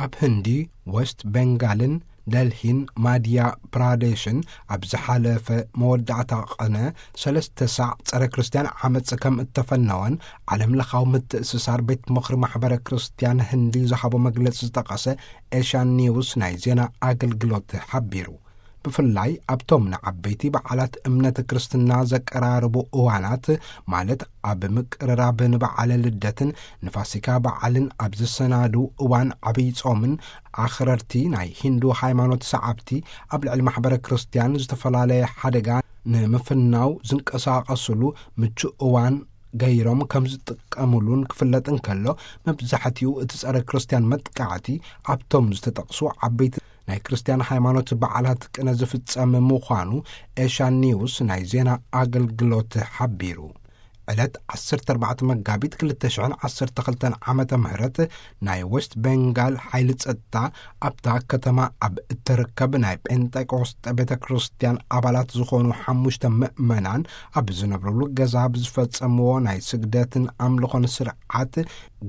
ኣብ ህንዲ፣ ወስት ቤንጋልን ደልሂን ማድያ ፕራዴሽን ኣብ ዝሓለፈ መወዳእታ ቐነ ሰለስተ ሳዕ ጸረ ክርስትያን ዓመጽ ከም እተፈነወን ዓለም ለኻዊ ምትእስሳር ቤት ምኽሪ ማሕበረ ክርስትያን ህንዲ ዝሃቦ መግለጺ ዝጠቐሰ ኤሽያን ኒውስ ናይ ዜና ኣገልግሎት ሓቢሩ። ብፍላይ ኣብቶም ንዓበይቲ በዓላት እምነት ክርስትና ዘቀራርቡ እዋናት፣ ማለት ኣብ ምቅርራብ ንበዓለ ልደትን ንፋሲካ በዓልን ኣብ ዝሰናዱ እዋን ዓብይ ጾምን፣ ኣኽረርቲ ናይ ሂንዱ ሃይማኖት ሰዓብቲ ኣብ ልዕሊ ማሕበረ ክርስትያን ዝተፈላለየ ሓደጋ ንምፍናው ዝንቀሳቐስሉ ምቹእ እዋን ገይሮም ከም ዝጥቀምሉን ክፍለጥ እንከሎ፣ መብዛሕትኡ እቲ ጸረ ክርስትያን መጥቃዕቲ ኣብቶም ዝተጠቕሱ ዓበይቲ ናይ ክርስትያን ሃይማኖት በዓላት ቅነ ዝፍጸም ምዃኑ ኤሽያን ኒውስ ናይ ዜና ኣገልግሎት ሓቢሩ። ዕለት ዓሰርተ ኣርባዕተ መጋቢት ክልተ ሽሕን ዓሰርተ ክልተን ዓመተ ምህረት ናይ ወስት ቤንጋል ሓይሊ ጸጥታ ኣብታ ከተማ ኣብ እትርከብ ናይ ጴንጠቆስጠ ቤተ ክርስትያን ኣባላት ዝኾኑ ሓሙሽተ ምእመናን ኣብ ዝነብርሉ ገዛ ብዝፈጸምዎ ናይ ስግደትን ኣምልኾን ስርዓት፣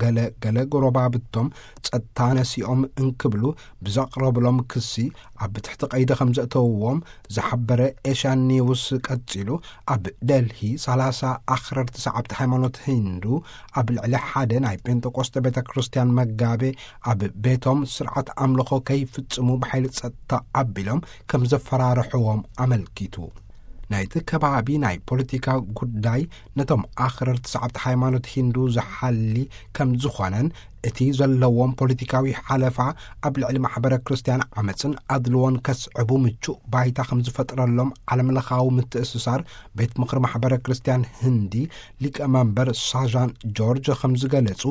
ገለ ገለ ጎረባብቶም ጸጥታ ነሲኦም እንክብሉ ብዘቕረብሎም ክሲ ኣብ ትሕቲ ቀይዲ ከም ዘእተውዎም ዝሓበረ ኤሽያን ኒውስ ቀጺሉ፣ ኣብ ደልሂ ሰላሳ ኣኽረርቲ ሰዓብቲ ሃይማኖት ሂንዱ ኣብ ልዕሊ ሓደ ናይ ጴንጠቆስጠ ቤተ ክርስትያን መጋቤ ኣብ ቤቶም ስርዓት ኣምልኾ ከይፍጽሙ ብሓይሊ ጸጥታ ኣቢሎም ከም ዘፈራርሕዎም ኣመልኪቱ። ናይቲ ከባቢ ናይ ፖለቲካ ጉዳይ ነቶም ኣኽረርቲ ሰዓብቲ ሃይማኖት ሂንዱ ዝሓሊ ከም ዝኾነን፣ እቲ ዘለዎም ፖለቲካዊ ሓለፋ ኣብ ልዕሊ ማሕበረ ክርስትያን ዓመጽን ኣድልዎን ከስዕቡ ምቹእ ባይታ ከም ዝፈጥረሎም ዓለም ለኻዊ ምትእስሳር ቤት ምኽሪ ማሕበረ ክርስትያን ህንዲ ሊቀ መንበር ሳዣን ጆርጅ ከም ዝገለጹ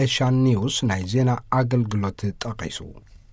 ኤሽያን ኒውስ ናይ ዜና ኣገልግሎት ጠቒሱ።